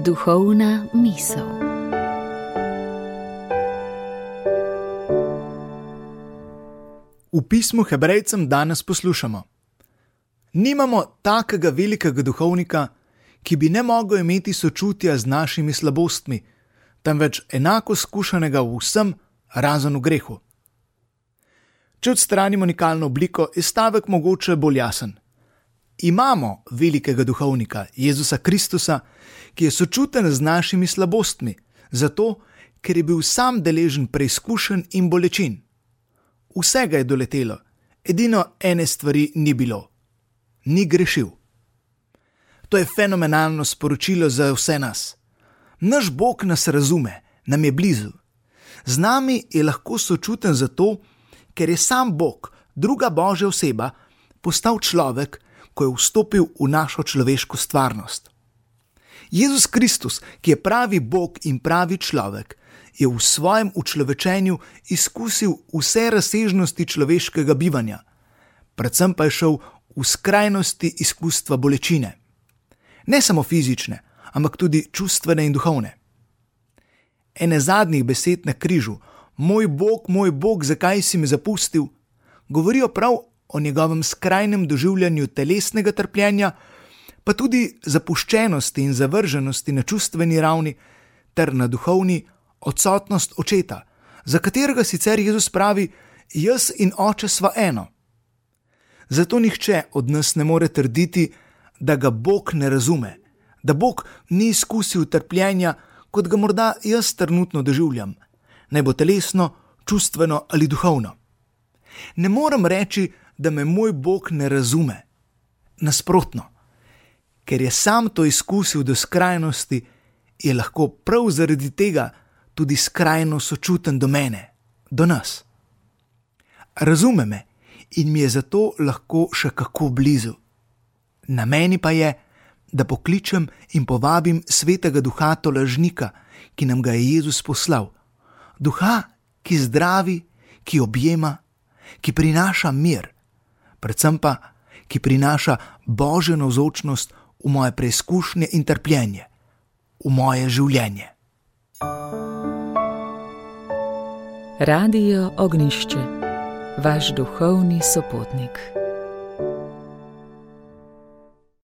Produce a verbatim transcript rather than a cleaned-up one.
Duhovna misel. V pismu Hebrejcem danes poslušamo: nimamo takega velikega duhovnika, ki bi ne mogel imeti sočutja z našimi slabostmi, temveč enako skušanega v vsem, razen v grehu. Če odstranimo nikalno obliko, je stavek mogoče bolj jasen. Imamo velikega duhovnika, Jezusa Kristusa, ki je sočuten z našimi slabostmi, zato, ker je bil sam deležen preizkušenj in bolečin. Vse ga je doletelo, edino ene stvari ni bilo. Ni grešil. To je fenomenalno sporočilo za vse nas. Naš Bog nas razume, nam je blizu. Z nami je lahko sočuten zato, ker je sam Bog, druga Božja oseba, postal človek, ko je vstopil v našo človeško stvarnost. Jezus Kristus, ki je pravi Bog in pravi človek, je v svojem učlovečenju izkusil vse razsežnosti človeškega bivanja, predvsem pa je šel v skrajnosti izkustva bolečine. Ne samo fizične, ampak tudi čustvene in duhovne. Ene zadnjih besed na križu, moj Bog, moj Bog, zakaj si me zapustil, govorijo prav o njegovem skrajnem doživljanju telesnega trpljenja, pa tudi zapuščenosti in zavrženosti na čustveni ravni ter na duhovni odsotnost očeta, za katerega sicer Jezus pravi: jaz in oče sva eno. Zato nihče od nas ne more trditi, da ga Bog ne razume, da Bog ni izkusil trpljenja, kot ga morda jaz trenutno doživljam, naj bo telesno, čustveno ali duhovno. Ne morem reči, da me moj Bog ne razume. Nasprotno, ker je sam to izkusil do skrajnosti, je lahko prav zaradi tega tudi skrajno sočuten do mene, do nas. Razume me in mi je zato lahko še kako blizu. Na meni pa je, da pokličem in povabim svetega duha tolažnika, ki nam ga je Jezus poslal. Duha, ki zdravi, ki objema, ki prinaša mir, predvsem pa, ki prinaša Božjo navzočnost v moje preizkušnje in trpljenje, v moje življenje. Radio Ognjišče, vaš duhovni sopotnik.